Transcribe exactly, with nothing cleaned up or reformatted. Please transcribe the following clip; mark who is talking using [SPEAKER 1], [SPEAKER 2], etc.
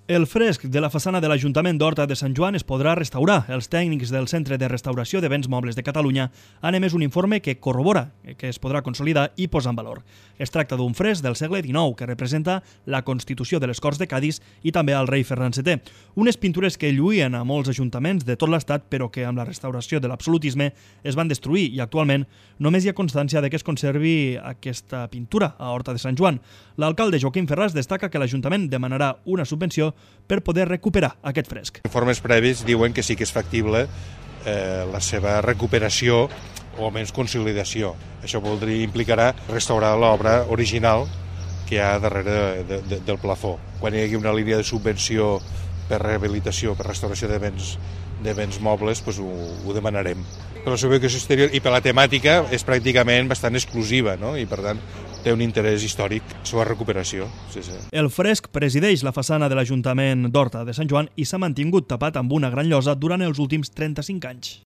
[SPEAKER 1] El fresc de la façana de l'Ajuntament d'Horta de Sant Joan es podrà restaurar. Els tècnics del Centre de Restauració de Béns Mobles de Catalunya han emès un informe que corrobora que es podrà consolidar i posar en valor. Es tracta d'un fresc del segle dinou que representa la Constitució de les Corts de Cadis i també al rei Ferran setè. Unes pintures que lluïen a molts ajuntaments de tot l'estat però que amb la restauració de l'absolutisme es van destruir i actualment només hi ha constància de que es conservi aquesta pintura a Horta de Sant Joan. L'alcalde Joaquim Ferràs destaca que l'Ajuntament demanarà una subvenció per poder recuperar aquest fresc.
[SPEAKER 2] Informes previs diuen que sí que és factible eh, la seva recuperació o almenys consolidació. Això voldria implicarà restaurar l'obra original que hi ha darrere de, de, del plafó. Quan hi hagi una línia de subvenció per rehabilitació, per restauració de béns, de béns mobles, doncs ho, ho demanarem. Per la seva ubicació exterior i per la temàtica és pràcticament bastant exclusiva, no? I per tant té un interès històric, la seva recuperació. Sí, sí.
[SPEAKER 1] El fresc presideix la façana de l'Ajuntament d'Horta de Sant Joan i s'ha mantingut tapat amb una gran llosa durant els últims trenta-cinc anys.